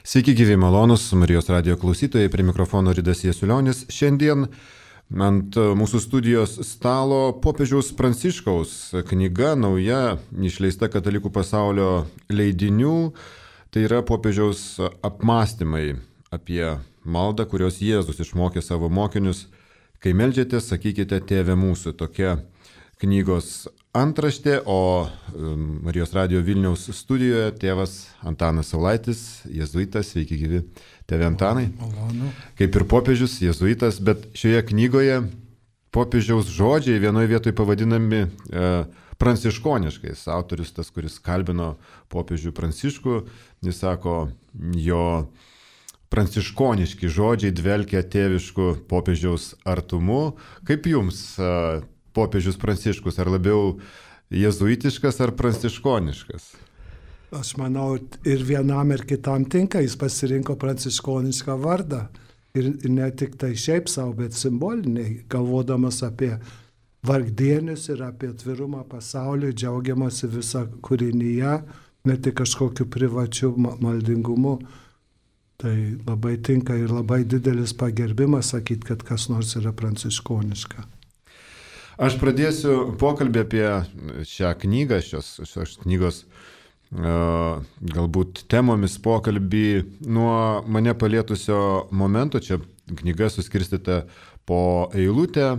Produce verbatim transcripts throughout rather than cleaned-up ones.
Sveiki gyvi malonus Marijos radijo klausytojai, prie mikrofono Ridas Jasiulionis. Šiandien ant mūsų studijos stalo popiežiaus Pranciškaus knyga nauja, išleista Katalikų pasaulio leidinių. Tai yra popiežiaus apmąstymai apie maldą, kurios Jėzus išmokė savo mokinius. Kai meldžiatės, sakykite Tėve mūsų. Tokia knygos antraštė, o Marijos radijo Vilniaus studijoje tėvas Antanas Saulaitis, jėzuitas. Sveiki gyvi, tėve Antanai. Malonu. Kaip ir popiežius, jėzuitas, bet šioje knygoje popiežiaus žodžiai vienoje vietoje pavadinami e, pranciškoniškais. Autorius, tas, kuris kalbino popiežių Pranciškų, jis sako, jo pranciškoniški žodžiai dvelkia tėvišku popiežiaus artumu. Kaip jums e, popiežius Pranciškus, ar labiau jėzuitiškas ar pranciškoniškas? Aš manau, ir vienam ir kitam tinka, jis pasirinko pranciškonišką vardą. Ir ne tik tai šiaip savo, bet simboliniai, galvodamas apie vargdienius ir apie atvirumą pasauliui, džiaugiamasi visą kūrinyje, ne tik kažkokiu privačiu maldingumu. Tai labai tinka ir labai didelis pagerbimas sakyti, kad kas nors yra pranciškoniška. Aš pradėsiu pokalbį apie šią knygą, šios, šios knygos uh, galbūt temomis pokalbį nuo mane palietusio momento. Čia knyga suskirstyta po eilutę,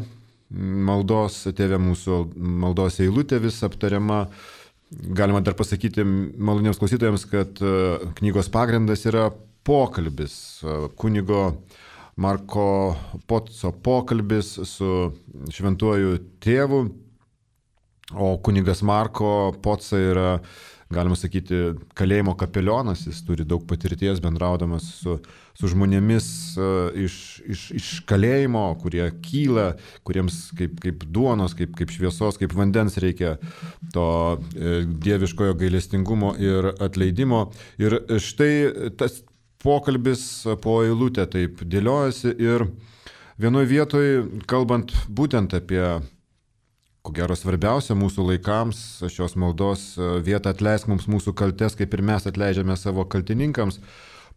maldos Tėve mūsų, maldos eilutė vis aptariama. Galima dar pasakyti maloniems klausytojams, kad uh, knygos pagrindas yra pokalbis uh, kunigo Marko Poco pokalbis su šventuoju tėvu, o kunigas Marko Poca yra, galima sakyti, kalėjimo kapelionas, jis turi daug patirties bendraudamas su, su žmonėmis iš, iš, iš kalėjimo, kurie kyla, kuriems kaip, kaip duonos, kaip, kaip šviesos, kaip vandens reikia to dieviškojo gailestingumo ir atleidimo. Ir štai tas pokalbis po eilutę taip dėliojasi ir vienoje vietoje, kalbant būtent apie, ko gero, svarbiausia mūsų laikams, šios maldos vietą atleisk mums mūsų kaltes, kaip ir mes atleidžiame savo kaltininkams,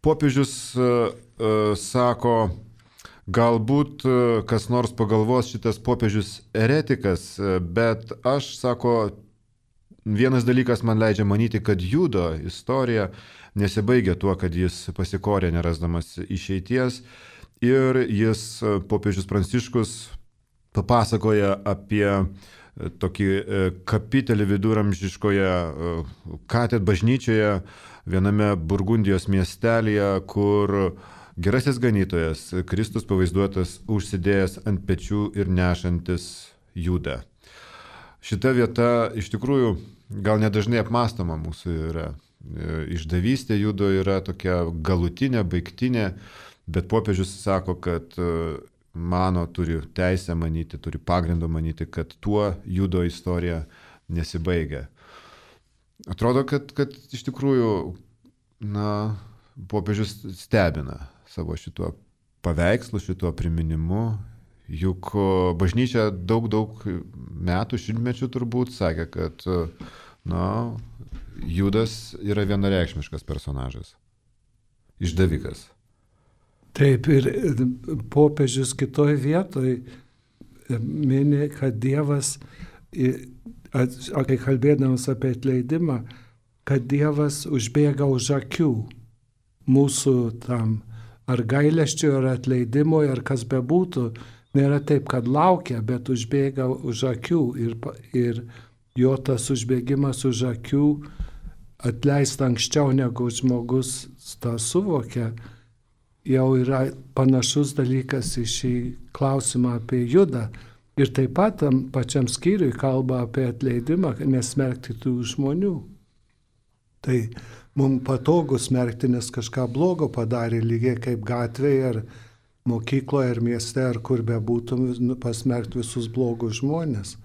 popiežius uh, uh, sako, galbūt uh, kas nors pagalvos šitas popiežius eretikas, bet aš, sako, vienas dalykas man leidžia manyti, kad Judo istorija nesibaigia tuo, kad jis pasikorė nerasdamas išeities, ir jis, popiežius Pranciškus, papasakoja apie tokį kapitelį viduramžiškoje katedros bažnyčioje viename Burgundijos miestelyje, kur gerasis ganytojas Kristus pavaizduotas užsidėjęs ant pečių ir nešantis Judą. Šita vieta iš tikrųjų gal nedažnai apmąstoma mūsų yra. Išdavystė Judo yra tokia galutinė, baigtinė, bet popiežius sako, kad mano turi teisę manyti, turi pagrindo manyti, kad tuo Judo istorija nesibaigia. Atrodo, kad, kad iš tikrųjų, na, popiežius stebina savo šituo paveikslu, šituo priminimu. Juk bažnyčia daug, daug metų, šimtmečių turbūt sakė, kad, na, Judas yra vienareikšmiškas personažas, išdavikas. Taip, ir popiežius kitoj vietoj mini, kad Dievas, kai kalbėdamas apie atleidimą, kad Dievas užbėga už akių mūsų tam ar gailesčio, ar atleidimo, ar kas bebūtų. Nėra taip, kad laukia, bet užbėga už akių ir, ir jo tas užbėgimas už akių atleista anksčiau negu žmogus tą suvokia, jau yra panašus dalykas į šį klausimą apie Judą. Ir taip pat tam pačiam skyriui kalba apie atleidimą, nesmerkti tų žmonių. Tai mums patogu smerkti, nes kažką blogo padarė, lygiai kaip gatvėje ar mokykloje ar mieste ar kur bebūtum, pasmerkti visus blogus žmonės.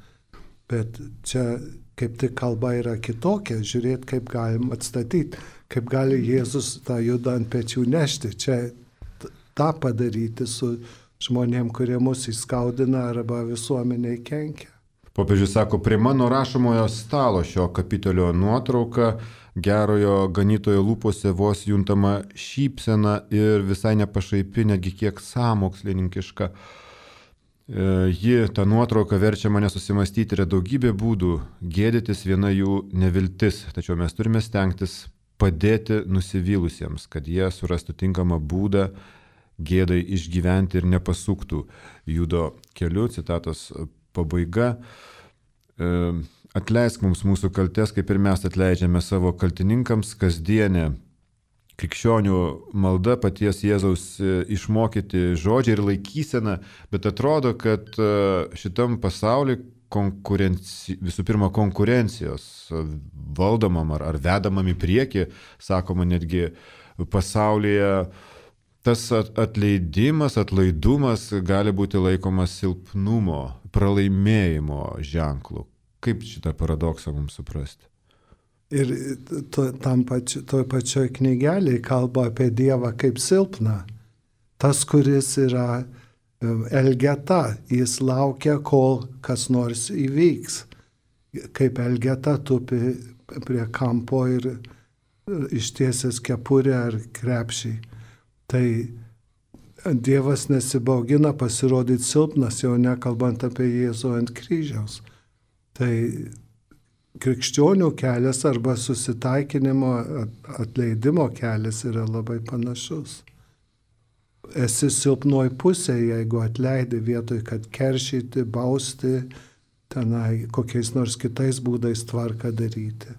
Bet čia kaip tik kalba yra kitokia, žiūrėti, kaip galim atstatyti, kaip gali Jėzus tą Judą ant pečių nešti. Čia tą padaryti su žmonėm, kurie mus įskaudina arba visuomeniai kenkia. Popiežius sako, prie mano rašomojo stalo šio kapitelio nuotrauka gerojo ganytojo lūpose vos juntama šypsena ir visai nepašaipi, netgi kiek sąmokslininkiška. Ji, ta nuotrauka verčia mane susimastyti, yra daugybė būdų, gėdytis viena jų neviltis, tačiau mes turime stengtis padėti nusivylusiems, kad jie surastų tinkamą būdą gėdai išgyventi ir nepasuktų judo keliu, citatos pabaiga. Atleisk mums mūsų kaltes, kaip ir mes atleidžiame savo kaltininkams. Kasdienė krikščionių malda, paties Jėzaus išmokyti žodžiai ir laikysena, bet atrodo, kad šitam pasauliu konkurenci... visų pirma konkurencijos valdomam ar, ar vedamam į priekį, sakoma netgi pasaulyje, tas atleidimas, atlaidumas gali būti laikomas silpnumo, pralaimėjimo ženklu. Kaip šitą paradoksą mums suprasti? Ir to, tam pači, toj pačioj knygelėje kalba apie Dievą kaip silpną. Tas, kuris yra elgeta, jis laukia, kol kas nors įvyks. Kaip elgeta tupi prie kampo ir ištiesęs kepurę ar krepšį. Tai Dievas nesibaugina pasirodyti silpnas, jau nekalbant apie Jėzų ant kryžiaus. Tai krikščionių kelias arba susitaikinimo, atleidimo kelias yra labai panašus. Esi silpnoj pusėje, jeigu atleidi vietoj, kad keršyti, bausti, tenai kokiais nors kitais būdais tvarką daryti.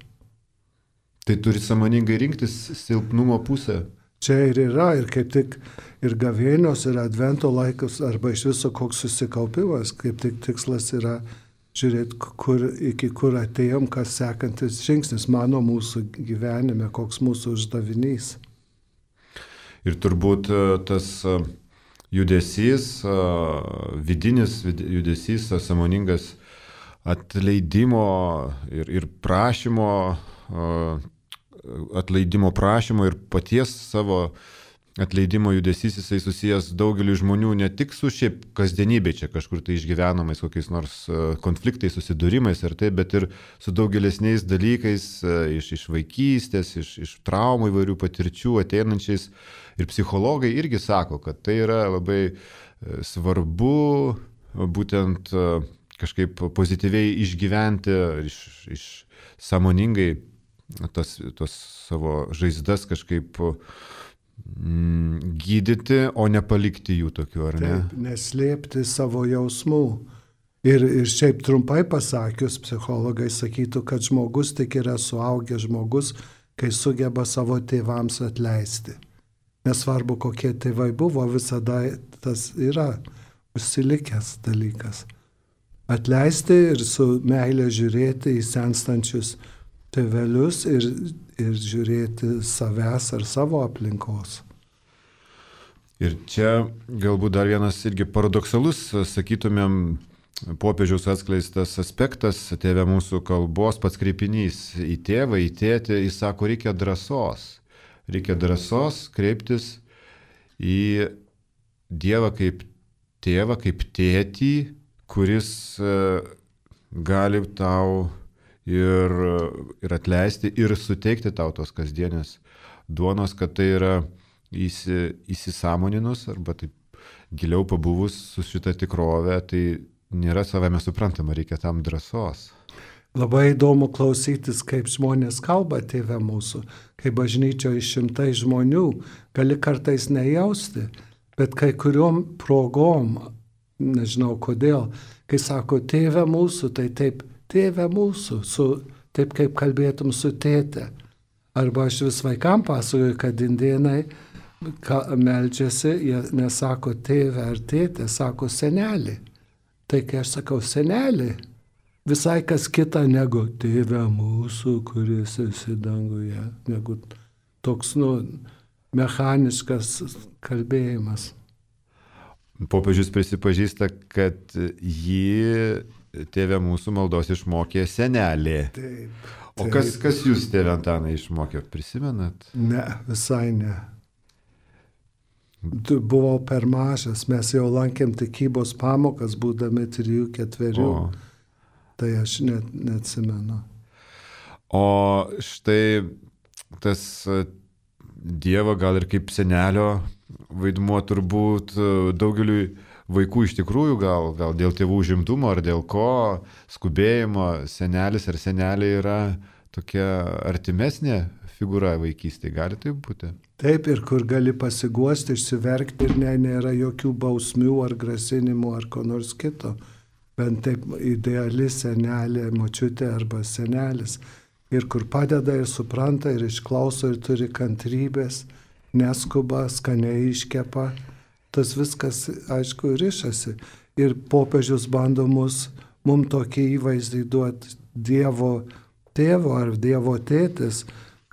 Tai turi sąmoningai rinktis silpnumo pusę. Čia ir yra, ir kaip tik ir gavėnios, ir advento laikas, arba iš viso koks susikaupimas, kaip tik tikslas yra žiūrėti, kur, iki kur atėjom, kas sekantis žingsnis mano mūsų gyvenime, koks mūsų uždavinys. Ir turbūt tas judesys, vidinis judesys, sąmoningas atleidimo ir, ir prašymo, atleidimo prašymo ir paties savo atleidimo judesys, jisai susijęs daugeliu žmonių ne tik su šiaip kasdienybė, čia kažkur tai išgyvenamais kokiais nors konfliktais, susidūrimais ir taip, bet ir su daugelesniais dalykais iš, iš vaikystės, iš, iš traumų įvairių patirčių ateinančiais. Ir psichologai irgi sako, kad tai yra labai svarbu būtent kažkaip pozityviai išgyventi, iš, iš sąmoningai tos, tos savo žaizdas kažkaip gydyti, o nepalikti jų tokių, ar ne? Taip, neslėpti savo jausmų. Ir, ir šiaip trumpai pasakius, psichologai sakytų, kad žmogus tik yra suaugęs žmogus, kai sugeba savo tėvams atleisti. Nesvarbu, kokie tėvai buvo, visada tas yra užsilikęs dalykas. Atleisti ir su meilė žiūrėti į senstančius tėvelius ir, ir žiūrėti savęs ar savo aplinkos. Ir čia galbūt dar vienas irgi paradoksalus, sakytumėm, popiežiaus atskleistas aspektas, tėve mūsų kalbos pats kreipinys į tėvą, į tėtį, jis sako, reikia drąsos. Reikia drąsos kreiptis į Dievą kaip tėvą, kaip tėtį, kuris gali tau ir, ir atleisti, ir suteikti tau tos kasdienės duonos, kad tai yra įsi, įsisąmoninus arba taip giliau pabuvus su šita tikrove, tai nėra savame suprantama, reikia tam drąsos. Labai įdomu klausytis, kaip žmonės kalba tėve mūsų, kai bažnyčioje šimtai žmonių, gali kartais nejausti, bet kai kuriuom progom, nežinau kodėl, kai sako tėve mūsų, tai taip, tėve mūsų, su, taip kaip kalbėtum su tėte. Arba aš vis vaikam pasakoju, kad indėnai meldžiasi, jie nesako tėve ar tėte, sako senelį. Tai kai aš sakau senelį, visai kas kita negu tėve mūsų, kuris esi danguje, negu toks, nu, mechaniškas kalbėjimas. Popiežius prisipažįsta, kad jį tėve mūsų maldos išmokė senelė. Taip, taip. O kas, kas jūs, tėve Antanai, išmokė, prisimenat? Ne, visai ne. Buvau per mažas, mes jau lankėm tikybos pamokas, būdami trijų, ketverių. O. Tai aš net neatsimenu. O štai tas Dievo gal ir kaip senelio vaidmuo turbūt daugeliui vaikų iš tikrųjų gal, gal dėl tėvų užimtumo ar dėl ko skubėjimo senelis ar senelė yra tokia artimesnė figūra vaikystėje. Gali taip būti? Taip, ir kur gali pasiguosti, išsiverkti ir ne, nėra jokių bausmių ar grasinimų ar ko nors kito. Bent taip ideali senelė, močiutė arba senelis. Ir kur padeda ir supranta ir išklauso ir turi kantrybės, neskuba, skaniai iškepa. Tas viskas, aišku, rišasi. Ir popiežius bando mus, mums tokį įvaizdį duoti Dievo tėvo ar Dievo tėtis,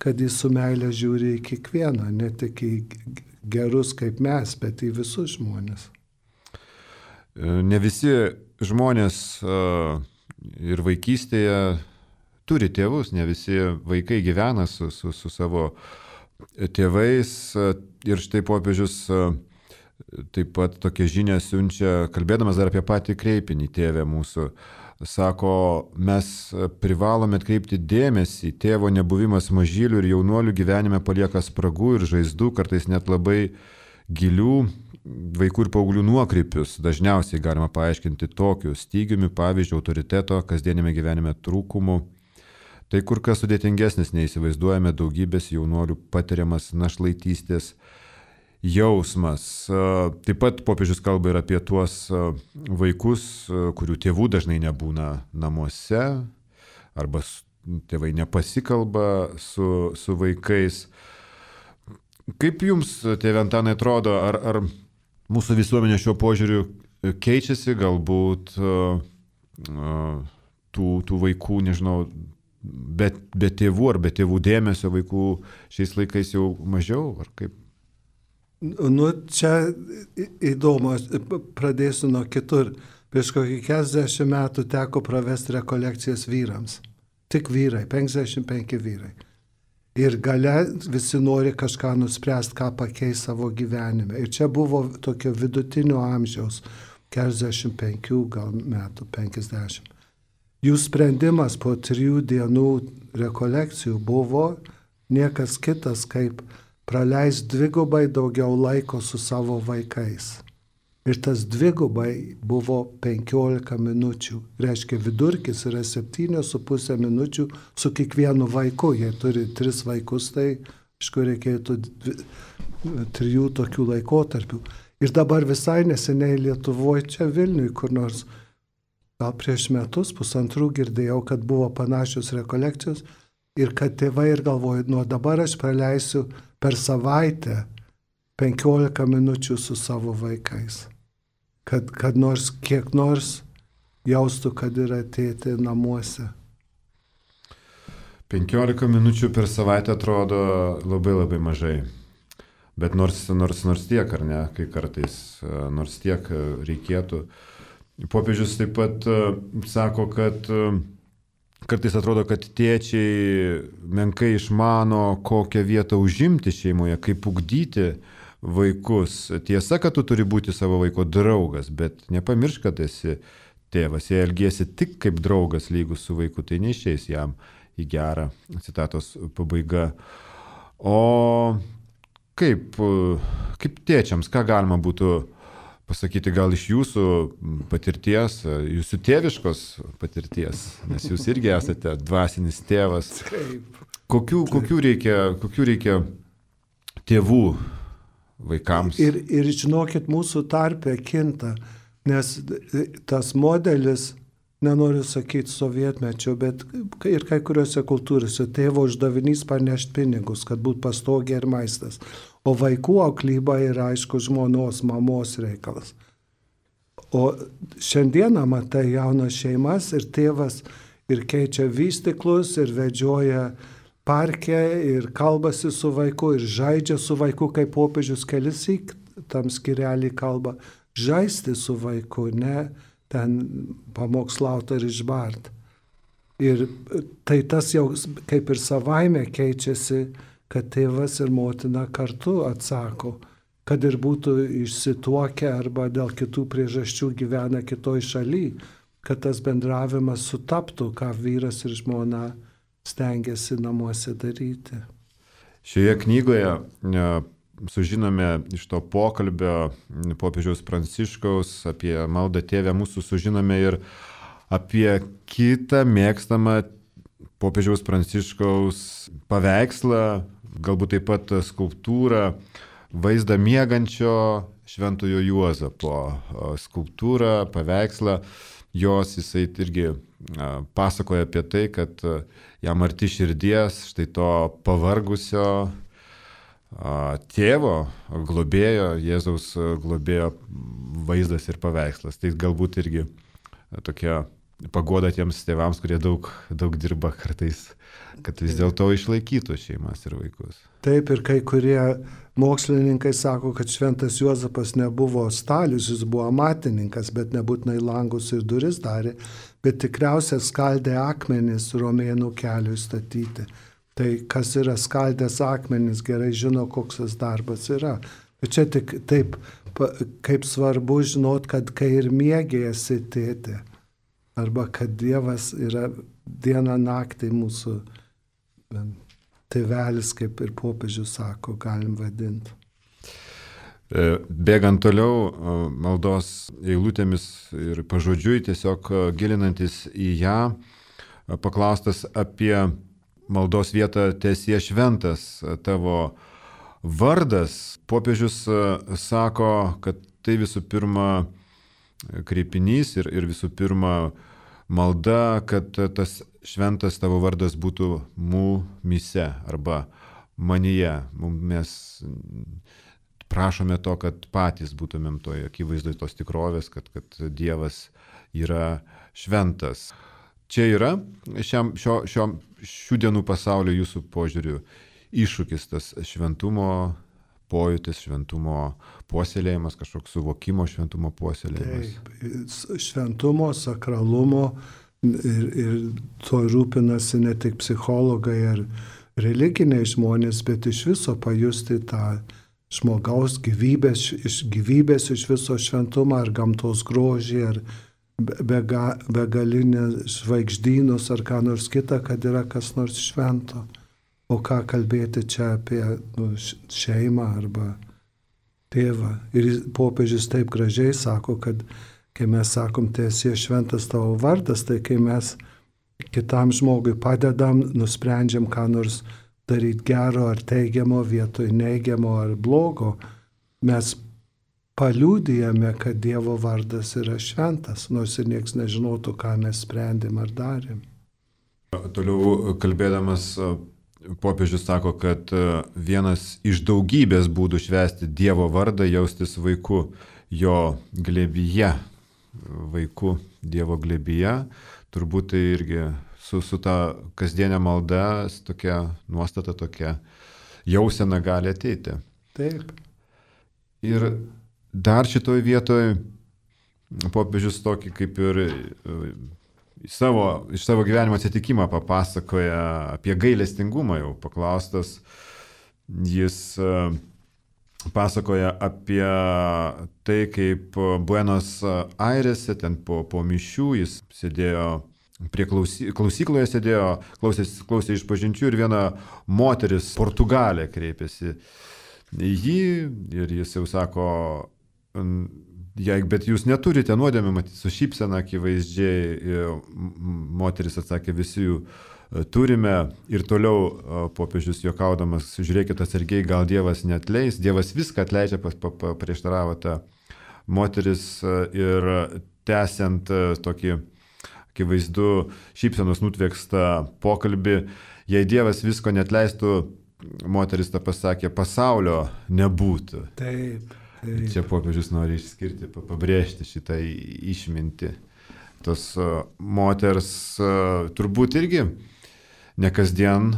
kad jis su meilė žiūri į kiekvieną, ne tik į gerus kaip mes, bet į visus žmonės. Ne visi žmonės ir vaikystėje turi tėvus, ne visi vaikai gyvena su, su, su savo tėvais. Ir štai popiežius taip pat tokią žinią siunčia, kalbėdamas dar apie patį kreipinį tėvę mūsų. Sako, mes privalome atkreipti dėmesį, tėvo nebuvimas mažylių ir jaunuolių gyvenime palieka spragų ir žaizdų, kartais net labai gilių vaikų ir paauglių nuokrypius. Dažniausiai galima paaiškinti tokiu stygiumi, pavyzdžiui, autoriteto, kasdienime gyvenime trūkumu. Tai kur kas sudėtingesnis neįsivaizduojame daugybės jaunuolių patiriamas našlaitystės jausmas. Taip pat popiežius kalba ir apie tuos vaikus, kurių tėvų dažnai nebūna namuose, arba tėvai nepasikalba su, su vaikais. Kaip jums, tėve Antanai, atrodo, ar, ar mūsų visuomenė šiuo požiūriu keičiasi, galbūt tų, tų vaikų, nežinau, be, be tėvų ar be tėvų dėmesio vaikų šiais laikais jau mažiau, ar kaip? Nu, čia įdomu, pradėsiu nuo kitur. Prieš kokį keturiasdešimt metų teko pravesti rekolekcijas vyrams. Tik vyrai, penkiasdešimt penki vyrai. Ir gale visi nori kažką nuspręsti, ką pakeis savo gyvenime. Ir čia buvo tokio vidutinio amžiaus, keturiasdešimt penki gal metų, penkiasdešimt. Jų sprendimas po trijų dienų rekolekcijų buvo niekas kitas, kaip praleis dvigubai daugiau laiko su savo vaikais. Ir tas dvigubai buvo penkiolika minučių. Reiškia, vidurkis yra septynios su pusė minučių su kiekvienu vaiku. Jei turi tris vaikus, tai aišku reikėtų dvi, trijų tokių laikotarpių. Ir dabar visai neseniai Lietuvoje, čia Vilniui, kur nors gal prieš metus, pusantrų girdėjau, kad buvo panašios rekolekcijos ir kad tėvai ir galvoja, nuo dabar aš praleisiu per savaitę penkiolika minučių su savo vaikais. Kad, kad nors kiek nors jaustų, kad yra tėtė namuose. penkiolika minučių per savaitę atrodo labai labai mažai. Bet nors, nors, nors tiek, ar ne, kai kartais, nors tiek reikėtų. Popiežius taip pat sako, kad kartais atrodo, kad tėčiai menkai išmano, kokią vietą užimti šeimoje, kaip ugdyti vaikus. Tiesa, kad tu turi būti savo vaiko draugas, bet nepamiršk, kad esi tėvas. Jei elgiesi tik kaip draugas lygus su vaiku, tai neišeis jam į gerą. Citatos pabaiga. O kaip, kaip tėčiams, ką galima būtų pasakyti gal iš jūsų patirties, jūsų tėviškos patirties, nes jūs irgi esate dvasinis tėvas. Kokių, kokių, reikia, kokių reikia tėvų vaikams? Ir, ir žinokit, mūsų tarpe kinta, nes tas modelis, nenoriu sakyti sovietmečio, bet ir kai kuriuose kultūrose tėvo uždavinys parnešti pinigus, kad būtų pastogė ir maistas. O vaikų auklyba yra, aišku, žmonos, mamos reikalas. O šiandieną matai jaunas šeimas ir tėvas ir keičia vystyklus ir vedžioja parke ir kalbasi su vaiku ir žaidžia su vaiku, kaip popiežius kelissyk tam skyrelį kalba, žaisti su vaiku, ne ten pamokslauti ir išbart. Ir tai tas jau kaip ir savaime keičiasi, kad tėvas ir motina kartu atsako, kad ir būtų išsituokę arba dėl kitų priežasčių gyvena kitoj šaly, kad tas bendravimas sutaptų, ką vyras ir žmona stengiasi namuose daryti. Šioje knygoje sužinome iš to pokalbio popiežiaus Pranciškaus apie maldą Tėve mūsų, sužinome ir apie kitą mėgstamą popiežiaus Pranciškaus paveikslą, galbūt taip pat skulptūrą, vaizdą miegančio Šventojo Juozapo skulptūrą, paveikslą. Jos jisai irgi pasakoja apie tai, kad jam arti širdies štai to pavargusio tėvo, globėjo, Jėzaus globėjo vaizdas ir paveikslas. Tai galbūt irgi tokia paguoda tiems tėvams, kurie daug, daug dirba kartais, kad vis dėlto išlaikytų šeimas ir vaikus. Taip, ir kai kurie mokslininkai sako, kad Šventas Juozapas nebuvo stalius, jis buvo amatininkas, bet nebūtinai langus ir duris darė, bet tikriausiai skaldė akmenis Romėnų keliui statyti. Tai kas yra skaldęs akmenis, gerai žino, koks tas darbas yra. Bet čia tik taip, kaip svarbu žinot, kad kai ir mėgėjasi tėtė, arba kad Dievas yra dieną naktį mūsų tėvelis, kaip ir popiežius sako, galim vadinti. Bėgant toliau maldos eilutėmis ir pažodžiui, tiesiog gilinantis į ją, paklaustas apie maldos vietą Teesie šventas tavo vardas, popiežius sako, kad tai visų pirma kreipinys ir, ir visų pirma malda, kad tas šventas tavo vardas būtų mumyse arba manyje. Mes prašome to, kad patys būtumėm toje akivaizdoje tos tikrovės, kad, kad Dievas yra šventas. Čia yra šiam, šio, šio, šių dienų pasaulio jūsų požiūrių iššūkis, tas šventumo pojūtis, šventumo puoselėjimas, kažkoks suvokimo šventumo puoselėjimas. Taip, šventumo, sakralumo ir, ir to rūpinasi ne tik psichologai ar religiniai žmonės, bet iš viso pajusti tą žmogaus gyvybės, iš gyvybės iš viso šventumą ar gamtos grožį ar bega, begalinę žvaigždynus ar ką nors kitą, kad yra kas nors švento. O ką kalbėti čia apie nu, šeimą arba tėvą. Ir popiežius taip gražiai sako, kad kai mes sakom, Teesie šventas tavo vardas, tai kai mes kitam žmogui padedam, nusprendžiam ką nors daryti gero ar teigiamo vietoj neigiamo ar blogo, mes paliudijame, kad Dievo vardas yra šventas, nors ir nieks nežinotų, ką mes sprendėm ar darėm. Toliau kalbėdamas, popiežius sako, kad vienas iš daugybės būdų švęsti Dievo vardą jaustis vaiku jo glėbyje, vaiku Dievo glėbyje, turbūt tai irgi su, su ta kasdienė malda, tokia nuostata, tokia jausena gali ateiti. Taip. Ir dar šitoj vietoj popiežius tokį kaip ir Savo, iš savo gyvenimo atsitikimą papasakoja apie gailestingumą jau paklaustas. Jis pasakoja apie tai, kaip Buenos Airėse, ten po, po mišių, jis sėdėjo prie klausy, klausykloje, sėdėjo, klausė, klausė išpažinčių ir viena moteris, Portugalė, kreipėsi į jį ir jis jau sako, Jei, bet jūs neturite nuodėmę, matyti, su šypsena akivaizdžiai, moteris atsakė, visi jų turime ir toliau popiežius juokaudamas, žiūrėkit atsargiai, gal Dievas neatleis, Dievas viską atleidžia, prieštaravo ta moteris ir tęsiant tokį akivaizdu šypsenos nutvekstą pokalbį, jei Dievas visko neatleistų, moteris tą pasakė, pasaulio nebūtų. Taip. Taip. Čia popiežius nori išskirti, pabrėžti šitą išmintį. Tos moters turbūt irgi ne kasdien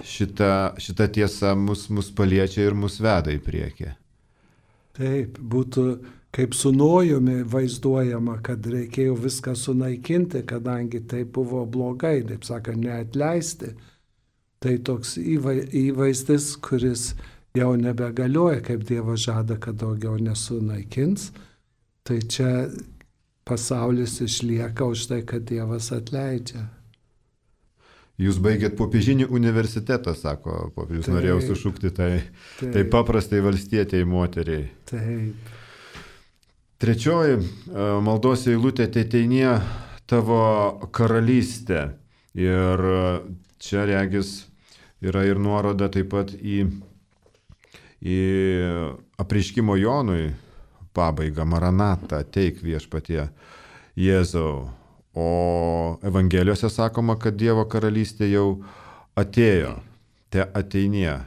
šita, šita tiesa mus, mus paliečia ir mus veda į priekį. Taip, būtų kaip su Nojumi vaizduojama, kad reikėjo viską sunaikinti, kadangi tai buvo blogai, taip sakant, neatleisti. Tai toks įvaizdis, kuris jau nebegalioja, kaip Dievas žada, kad daugiau nesunaikins, tai čia pasaulis išlieka už tai, kad Dievas atleidžia. Jūs baigėt popiežinį universitetą, sako popiežius, norėjau sušukti tai, taip. tai paprastai valstietėjai moteriai. Taip. Trečioji maldos eilutė, Teteinie tavo karalystė. Ir čia regis yra ir nuoroda taip pat į, į apreiškimo Jonui pabaigą, Maranatą, ateik viešpatie Jėzau. O Evangelijose sakoma, kad Dievo karalystė jau atėjo, te ateinie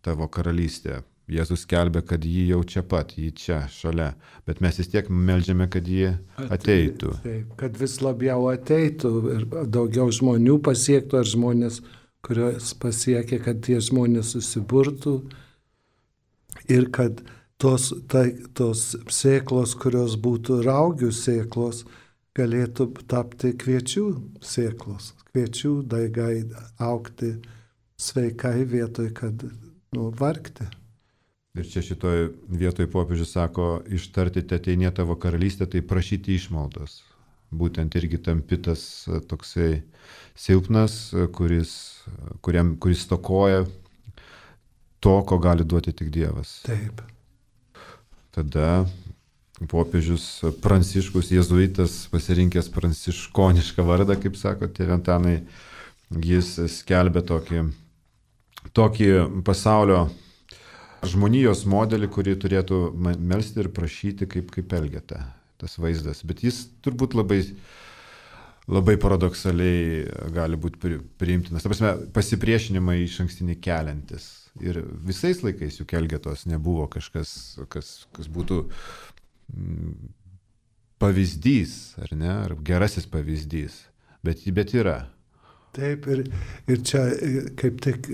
tavo karalystė. Jėzus skelbia, kad ji jau čia pat, ji čia, šalia, bet mes vis tiek meldžiame, kad ji ateitų. Taip, kad vis labiau ateitų ir daugiau žmonių pasiektų, ar žmonės, kurios pasiekė, kad tie žmonės susiburtų ir kad tos, tai, tos sėklos, kurios būtų raugių sėklos, galėtų tapti kviečių sėklos, kviečių daigai augti sveikai vietoj, kad nu, vargti. Ir čia šitoj vietoj popiežius sako, ištarti Teteinie tavo karalystė, tai prašyti išmaldos. Būtent irgi tampi tas toksai silpnas, kuris, kuriam, kuris stokoja to, ko gali duoti tik Dievas. Taip. Tada popiežius Pranciškus, jėzuitas, pasirinkęs pranciškonišką vardą, kaip sako tėve Antanai, jis skelbia tokį, tokį pasaulio žmonijos modelį, kurį turėtų melsti ir prašyti kaip, kaip Elgeta, tas vaizdas. Bet jis turbūt labai, labai paradoksaliai gali būti priimtinas. Ta prasme, pasipriešinimą iš ankstinį keliantis. Ir visais laikais juk Elgetos nebuvo kažkas, kas, kas būtų pavyzdys, ar ne, ar gerasis pavyzdys, bet, bet yra. Taip, ir, ir čia kaip tik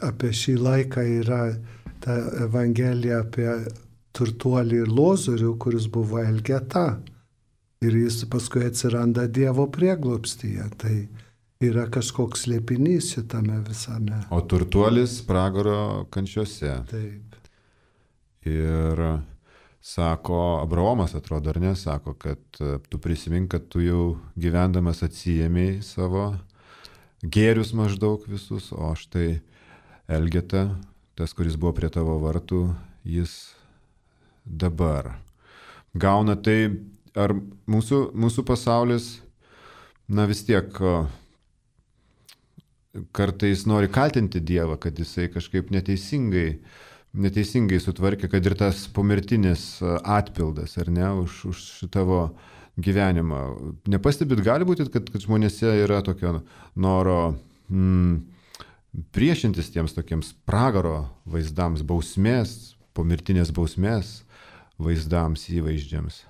apie šį laiką yra ta Evangelija apie turtuolį ir Lozorių, kuris buvo Elgeta. Ir jis paskui atsiranda Dievo prieglobstyje. Tai yra kažkoks slėpinys šitame visame. O turtuolis pragaro kančiose. Taip. Ir sako, Abraomas atrodo, ar ne, sako, kad tu prisimink, kad tu jau gyvendamas atsijėmėjai savo gėrius maždaug visus, o štai Elgeta, tas, kuris buvo prie tavo vartų, jis dabar gauna. Tai ar mūsų, mūsų pasaulis, na vis tiek kartais nori kaltinti Dievą, kad jisai kažkaip neteisingai neteisingai sutvarkė, kad ir tas pomirtinis atpildas, ar ne, už, už tavo gyvenimą. Nepastebit, gali būti, kad, kad žmonėse yra tokio noro mm, priešintis tiems tokiems pragaro vaizdams, bausmės, pomirtinės bausmės vaizdams, įvaizdžiams.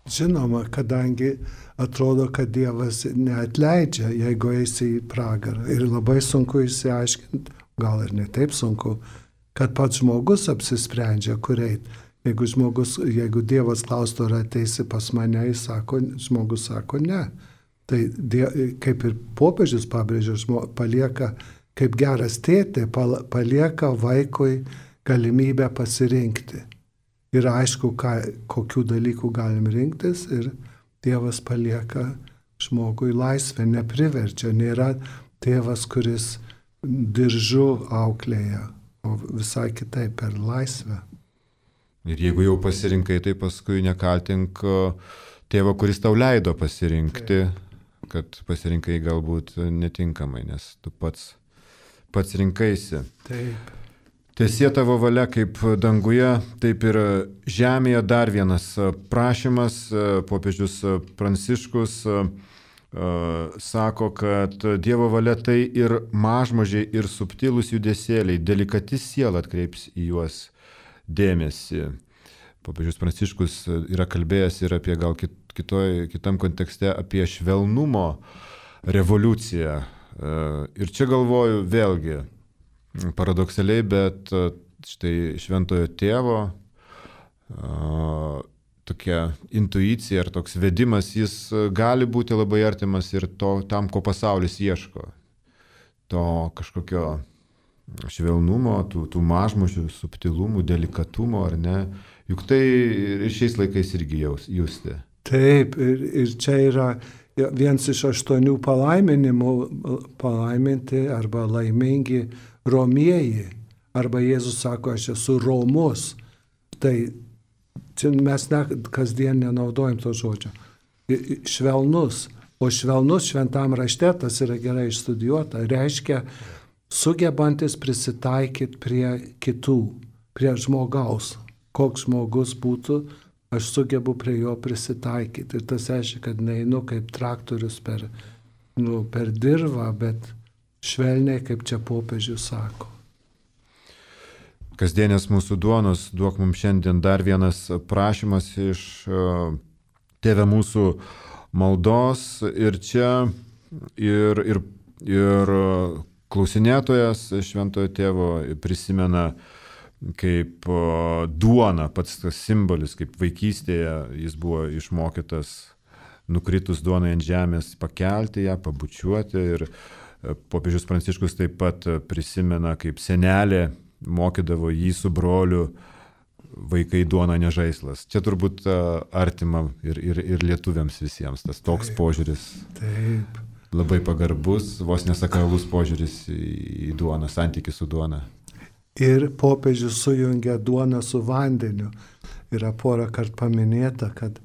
Žinoma, kadangi atrodo, kad Dievas neatleidžia, jeigu eisi į pragarą. Ir labai sunku išsiaiškinti, gal ir ne taip sunku, kad pats žmogus apsisprendžia, kur eit. Jeigu, žmogus, jeigu Dievas klaustų, ar ateisi pas mane, jis sako, žmogus sako ne. Tai die, kaip ir popiežius pabrėžia, palieka, kaip geras tėtė, palieka vaikui galimybę pasirinkti. Ir aišku, ką, kokių dalykų galim rinktis, ir Dievas palieka žmogui laisvę, nepriverčia. Nėra tėvas, kuris diržu auklėja, o visai kitaip per laisvę. Ir jeigu jau pasirinkai, tai paskui nekaltink tėvą, kuris tau leido pasirinkti, taip, kad pasirinkai galbūt netinkamai, nes tu pats, pats rinkaisi. Taip. Teesie tavo valia kaip danguje, taip ir žemėje. Dar vienas prašymas, popiežius Pranciškus Uh, sako, kad Dievo valia tai ir mažmožiai, ir subtilūs judesėliai, delikati siela atkreips į juos dėmesį. Popiežius Pranciškus yra kalbėjęs ir apie gal kit, kitoj, kitam kontekste apie švelnumo revoliuciją. Uh, ir čia galvoju vėlgi paradoksaliai, bet uh, štai šventojo tėvo uh, tokia intuicija ar toks vedimas, jis gali būti labai artimas ir to, tam, ko pasaulis ieško. To kažkokio švelnumo, tų, tų mažmožių, subtilumų, delikatumo, ar ne? Juk tai ir šiais laikais irgi jaus, justi. Taip, ir, ir čia yra Vienas iš aštuonių palaiminimų palaiminti arba laimingi romieji. Arba Jėzus sako, aš esu romus. Tai čia mes ne, kasdien nenaudojam to žodžio. Švelnus. O švelnus šventam rašte, tas yra gerai išstudijuota, reiškia sugebantis prisitaikyti prie kitų, prie žmogaus. Koks žmogus būtų, aš sugebu prie jo prisitaikyti. Ir tas reiškia, kad neinu kaip traktorius per, nu, per dirvą, bet švelniai, kaip čia popiežius sako. Kasdienės mūsų duonos, duok mums šiandien dar vienas prašymas iš uh, Tėve mūsų maldos. Ir čia ir, ir, ir klausinėtojas Šventojo Tėvo prisimena kaip uh, duona, pats tas simbolis, kaip vaikystėje jis buvo išmokytas nukritus duonai ant žemės pakelti ją, pabučiuoti. Ir uh, popiežius Pranciškus taip pat prisimena, kaip senelė mokydavo jį su broliu, vaikai duona ne žaislas. Čia turbūt uh, artima ir, ir, ir lietuviams visiems tas toks taip, požiūris. Taip. Labai pagarbus, vos nesakralus požiūris į, į duoną, santykį su duona. Ir popiežius sujungia duoną su vandeniu. Yra porą kart paminėta, kad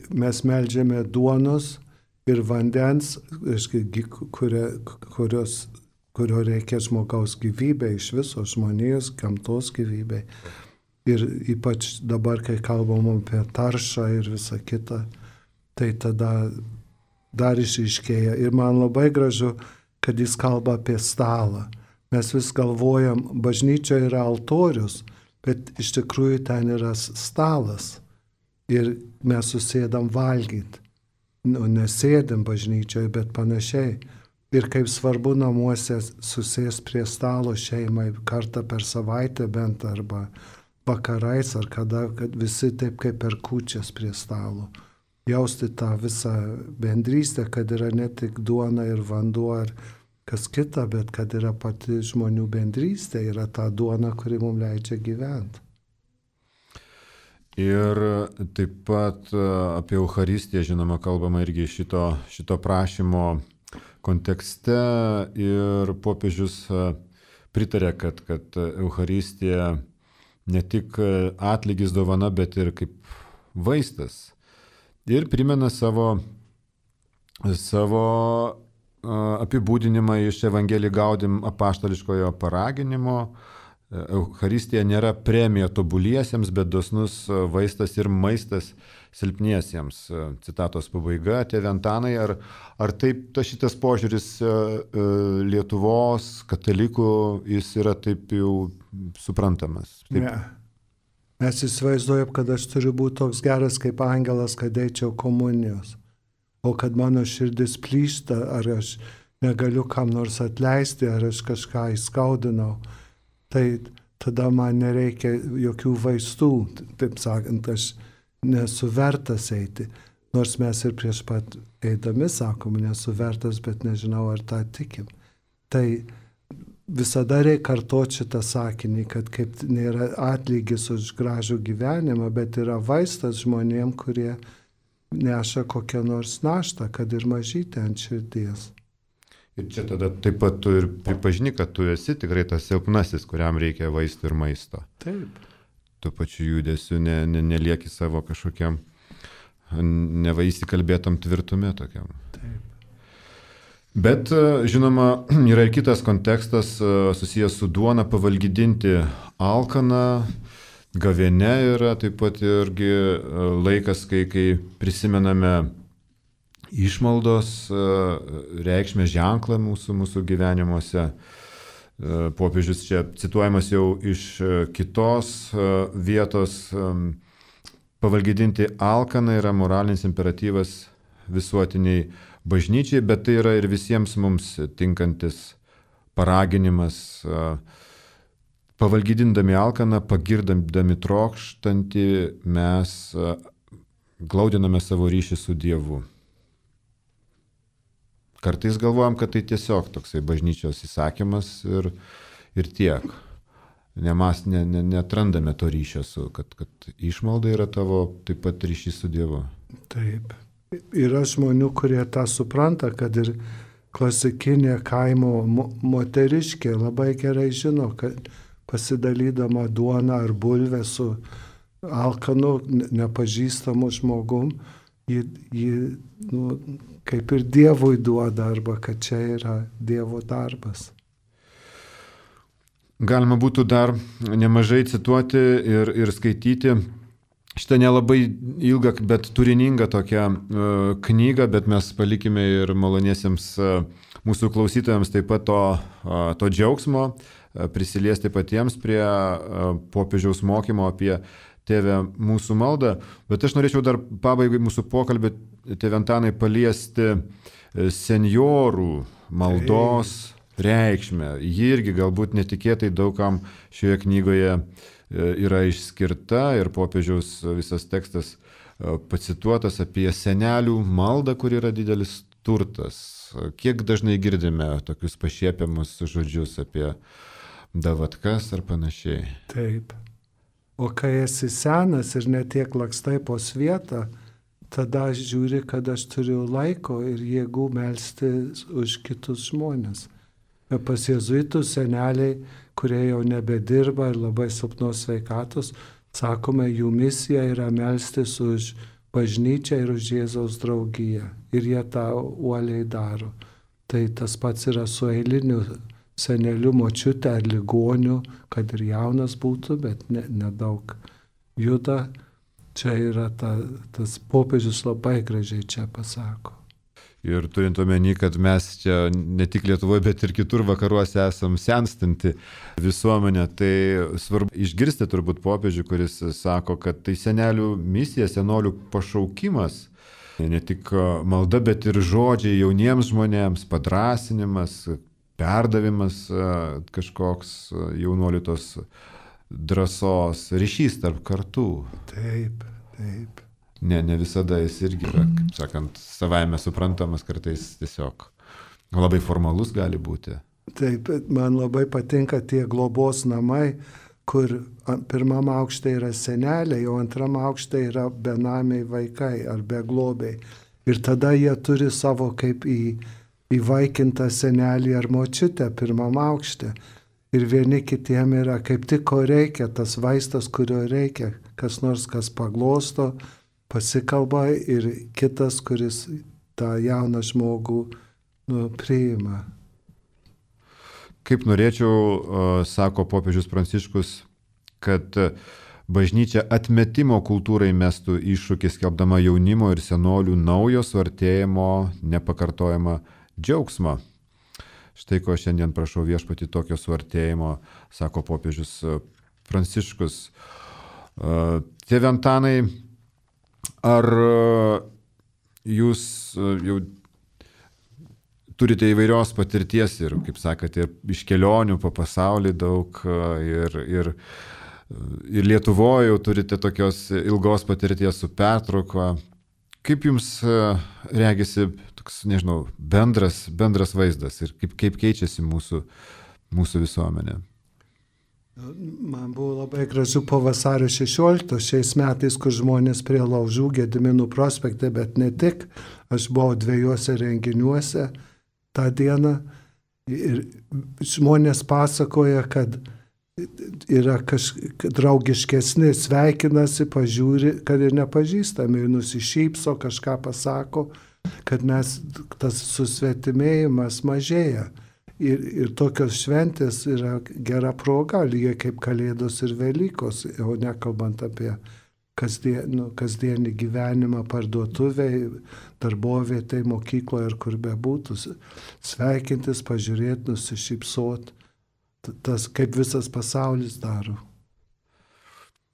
mes meldžiame duonos ir vandens, kurio, kurios kurio reikia žmogaus gyvybei, iš viso žmonijos, gamtos gyvybei. Ir ypač dabar, kai kalbam apie taršą ir visą kitą, tai tada dar išryškėja. Ir man labai gražu, kad jis kalba apie stalą. Mes vis galvojam, bažnyčia yra altorius, bet iš tikrųjų ten yra stalas. Ir mes susėdam valgyti. Nu, nesėdam bažnyčioje, bet panašiai. Ir kaip svarbu namuose susės prie stalo šeimai kartą per savaitę bent arba vakarais ar kada, kad visi taip kaip per kūčias prie stalo. Jausti tą visą bendrystę, kad yra ne tik duona ir vanduo ar kas kita, bet kad yra pati žmonių bendrystė, yra ta duona, kuri mums leidžia gyventi. Ir taip pat apie Eucharistiją, žinoma, kalbama irgi šito, šito prašymo kontekste ir popiežius pritarė, kad, kad Eucharistija ne tik atlygis dovana, bet ir kaip vaistas. Ir primena savo, savo apibūdinimą iš Evangelijų Gaudim apaštališkojo paraginimo. Eucharistija nėra premija tobuliesiems, bet dosnus vaistas ir maistas silpniesiems. Citatos pabaiga. Tėve Antanai, ar, ar taip ta šitas požiūris Lietuvos katalikų, jis yra taip jau suprantamas? Taip. Ne. Mes įsivaizduojam, kad aš turiu būti toks geras kaip angelas, kad eičiau komunijos. O kad mano širdis plyšta, ar aš negaliu kam nors atleisti, ar aš kažką įskaudinau. Tai tada man nereikia jokių vaistų, taip sakant, aš nesu vertas eiti. Nors mes ir prieš pat eidami sakom, nesu vertas, bet nežinau, ar tą tikim. Tai visada reikia kartoti šitą sakinį, kad kaip nėra atlygis už gražų gyvenimą, bet yra vaistas žmonėm, kurie neša kokią nors naštą, kad ir mažytę ant širdies. Ir čia tada taip pat tu ir pripažini, kad tu esi tikrai tas silpnasis, kuriam reikia vaistų ir maisto. Taip. Tuo pačiu judesiu ne, ne, nelieki savo kažkokiam nevaįsikalbėtam tvirtume tokiam. Taip. Bet, žinoma, yra ir kitas kontekstas susijęs su duona, pavalgydinti alkaną, gavėnia yra taip pat irgi laikas, kai, kai prisimename išmaldos reikšmę ženklą mūsų, mūsų gyvenimuose. Popiežius čia cituojamas jau iš kitos vietos. Pavalgydinti alkaną yra moralinis imperatyvas visuotiniai bažnyčiai, bet tai yra ir visiems mums tinkantis paraginimas. Pavalgydindami alkaną, pagirdami trokštantį, mes glaudiname savo ryšį su Dievu. Kartais galvojam, kad tai tiesiog toksai bažnyčios įsakymas ir, ir tiek. Nemas, ne, ne, netrandame to ryšio, su, kad, kad išmalda yra tavo taip pat ryšys su Dievu. Taip. yra žmonių, kurie tą supranta, kad ir klasikinė kaimo mo- moteriškė labai gerai žino, kad pasidalydama duoną ar bulvę su alkanu, ne- nepažįstamu žmogum, ji, ji nu, kaip ir Dievui duoda, arba kad čia yra Dievo darbas. Galima būtų dar nemažai cituoti ir, ir skaityti šitą nelabai ilgą, bet turiningą tokią uh, knygą, bet mes palikime ir maloniesiems uh, mūsų klausytojams taip pat to, uh, to džiaugsmo, uh, prisiliesti patiems prie uh, popiežiaus mokymo apie Tėve mūsų maldą. Bet aš norėčiau dar pabaigai mūsų pokalbį, Tėve Antanai, paliesti senjorų maldos reikšmę. Ji irgi galbūt netikėtai daugam šioje knygoje yra išskirta ir popiežiaus visas tekstas pacituotas apie senelių maldą, kur yra didelis turtas. Kiek dažnai girdime tokius pašiepiamus žodžius apie davatkas ar panašiai. Taip. O kai esi senas ir netiek lakstai po svietą, tada aš žiūri, kad aš turiu laiko ir jėgų melsti už kitus žmonės. Ir pas jėzuitus seneliai, kurie jau nebedirba ir labai silpnos sveikatos, sakome, jų misija yra melstis už bažnyčią ir už Jėzaus draugiją. Ir jie tą uoliai daro. Tai tas pats yra su eiliniu seneliu, močiute ar ligoniu, kad ir jaunas būtų, bet nedaug ne juda. Čia yra ta, tas popiežius labai gražiai čia pasako. Ir turint omeny, kad mes čia ne tik Lietuvoje, bet ir kitur vakaruose esam senstanti visuomenė, tai svarbu išgirsti turbūt popiežių, kuris sako, kad tai senelių misija, senolių pašaukimas, ne tik malda, bet ir žodžiai jauniems žmonėms, padrąsinimas, perdavimas kažkoks jaunuolių tos drąsos, ryšys tarp kartų. Taip, taip. Ne, ne visada jis irgi yra, kaip sakant, savaime suprantamas, kartais tiesiog labai formalus gali būti. Taip, man labai patinka tie globos namai, kur pirmam aukšte yra seneliai, o antram aukšte yra benamiai vaikai ar beglobiai. Ir tada jie turi savo kaip į įvaikintą senelį ar močiutę pirmam aukšte. Ir vieni kitiem yra kaip tik ko reikia, tas vaistas, kurio reikia, kas nors, kas paglosto, pasikalba ir kitas, kuris tą jauną žmogų nu, priima. Kaip norėčiau, sako popiežius Pranciškus, kad bažnyčia atmetimo kultūrai mestų iššūkį, skelbdama jaunimo ir senolių naujo suartėjimo nepakartojamą džiaugsmą. Štai ko šiandien prašau viešpatį tokio suartėjimo, sako popiežius Pranciškus. Tėve Antanai, ar jūs jau turite įvairios patirties ir, kaip sakėte, iš kelionių po pasaulį daug ir, ir, ir Lietuvoje jau turite tokios ilgos patirties su pertrauka. Kaip jums regisi toks, nežinau, bendras, bendras vaizdas ir kaip, kaip keičiasi mūsų, mūsų visuomenė? Man buvo labai gražu po vasario šešioliktos šiais metais, kur žmonės prie laužų Gediminų prospekte, bet ne tik. Aš buvau dviejuose renginiuose tą dieną ir žmonės pasakoja, kad yra kažkaip draugiškesni, sveikinasi, pažiūri, kad ir nepažįstami, ir nusišypso, kažką pasako, kad mes tas susvetimėjimas mažėja. Ir, ir tokios šventės yra gera proga, lygiai kaip Kalėdos ir Velykos, o nekalbant apie kasdien, nu, kasdienį gyvenimą parduotuvėj, darbovietėj, mokykloje ir kur bebūtų. Sveikintis, pažiūrėti, nusišypsoti. Tas kaip visas pasaulis daro.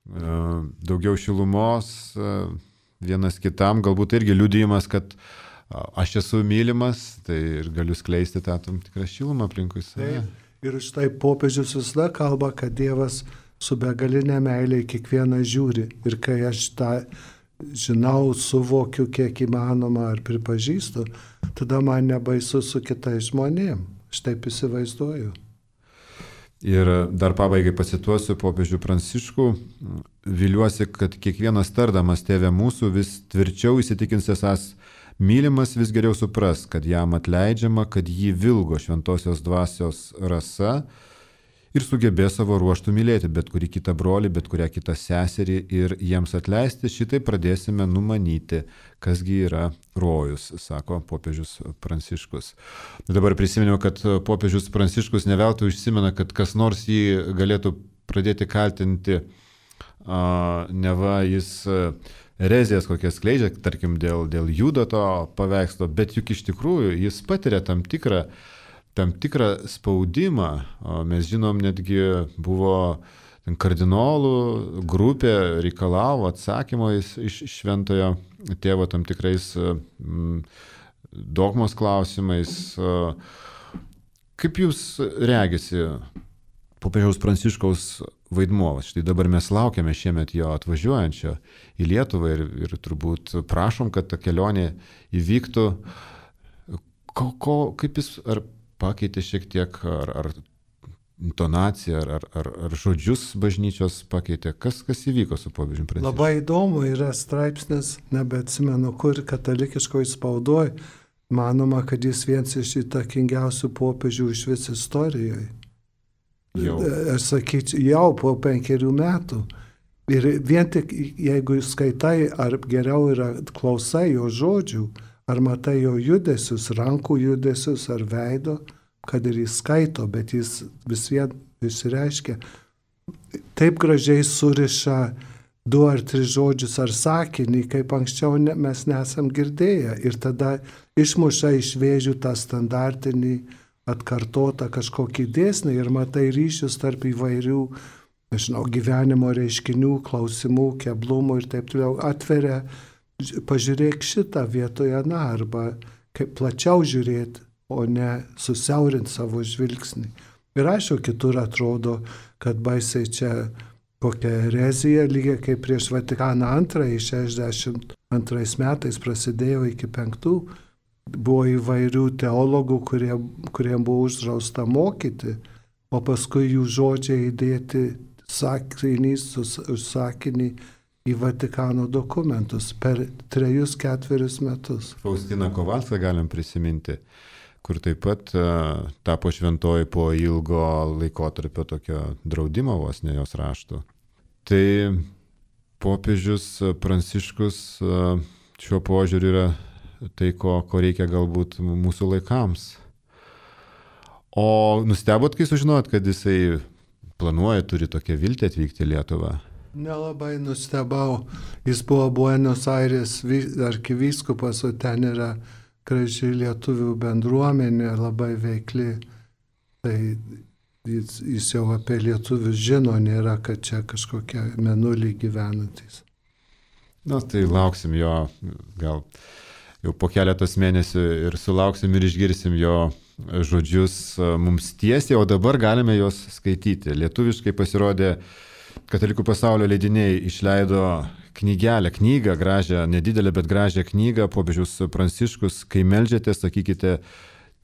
Daugiau šilumos vienas kitam, galbūt irgi liudijimas, kad aš esu mylimas, tai ir galiu skleisti tą tam tikrą šilumą aplinkui save. Ir štai popiežius visada kalba, kad Dievas su begalinė meilė kiekvieną žiūri. Ir kai aš tą žinau, suvokiu, kiek įmanoma ar pripažįstu, tada man nebaisu su kitais žmonėm. Aš taip įsivaizduoju. Ir dar pabaigai pacituosiu popiežių Pranciškų. Viliuosi, kad kiekvienas tardamas Tėve mūsų vis tvirčiau įsitikins esąs mylimas, vis geriau supras, kad jam atleidžiama, kad jį vilgo šventosios dvasios rasa ir sugebės savo ruoštų mylėti bet kurį kitą brolį, bet kurią kitą seserį ir jiems atleisti. Šitai pradėsime numanyti, kasgi yra rojus, sako popiežius Pranciškus. Dabar prisiminiau, kad popiežius Pranciškus neveltui užsimena, kad kas nors jį galėtų pradėti kaltinti, a, neva jis erezijas kokias skleidžia, tarkim, dėl, dėl Judo to paveikslo, bet juk iš tikrųjų jis patiria tam tikrą tam tikrą spaudimą. Mes žinom, netgi buvo kardinolų grupė reikalavo atsakymo iš šventojo tėvo tam tikrais dogmos klausimais. Kaip jūs regisi popiežiaus Pranciškaus vaidmuo? Štai dabar mes laukiame šiemet jo atvažiuojančio į Lietuvą ir, ir turbūt prašom, kad ta kelionė įvyktų. Ko, ko, kaip jis ar pakeitė šiek tiek, ar, ar intonaciją, ar, ar, ar žodžius bažnyčios pakeitė? Kas, kas įvyko su popiežiumi Pranciškum? Labai įdomu, yra straipsnis, nebeatsimenu kur, katalikiškoje spaudoje, manoma, kad jis vienas iš įtakingiausių popiežių iš vis istorijoje. Jau. Aš sakyčiau, jau po penkerių metų. Ir vien tik, jeigu skaitai, ar geriau yra klausai jo žodžių, ar matai jo judesius, rankų judesius ar veido, kad ir jis skaito, bet jis vis vien išsireiškia. Taip gražiai suriša du ar tris žodžius ar sakinį, kaip anksčiau ne, mes nesam girdėję. Ir tada išmuša iš vėžių tą standartinį atkartotą kažkokį dėsnį ir matai ryšius tarp įvairių, nežinau, gyvenimo reiškinių, klausimų, keblumų ir taip toliau. Atveria, pažiūrėk šitą vietoje, na, arba kaip plačiau žiūrėti, o ne susiaurinti savo žvilgsnį. Ir aišku, kitur atrodo, kad baisiai čia kokia erezija, lygiai kaip prieš Vatikaną antrąjį, šešiasdešimt antrais metais prasidėjo iki penktų, buvo įvairių teologų, kurie, kuriem buvo uždrausta mokyti, o paskui jų žodžiai įdėti sakinys už sakinį į Vatikano dokumentus per trejus ketverius metus. Faustiną Kovalską galim prisiminti, kur taip pat uh, tapo šventoji po ilgo laikotarpio tokio draudimo vos ne jos raštų. Tai popiežius Pranciškus uh, šiuo požiūriu yra tai, ko, ko reikia galbūt mūsų laikams. O nustebot, kai sužinot, kad jisai planuoja, turi tokią viltį atvykti į Lietuvą? Nelabai nustebau. Jis buvo Buenos Aires arkivyskupas, o ten yra graži lietuvių bendruomenė, labai veikli. Tai jis, jis jau apie lietuvius žino, nėra, kad čia kažkokie menulį gyvenantys. Na, tai lauksim jo, gal jau po keletos mėnesių ir sulauksim ir išgirsim jo žodžius mums tiesiai, o dabar galime juos skaityti. Lietuviškai pasirodė Katalikų pasaulio leidiniai, išleido knygelę, knygą, gražią, nedidelę, bet gražią knygą, popiežius Pranciškus, kai meldžiate, sakykite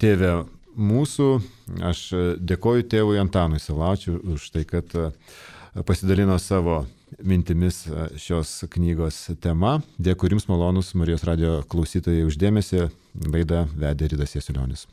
Tėve mūsų. Aš dėkoju tėvui Antanui Saulaičiui už tai, kad pasidalino savo mintimis šios knygos tema. Dėkui jums, malonus Marijos radijo klausytojai, už dėmesį. Laidą vedė Ridas Jasiulionis.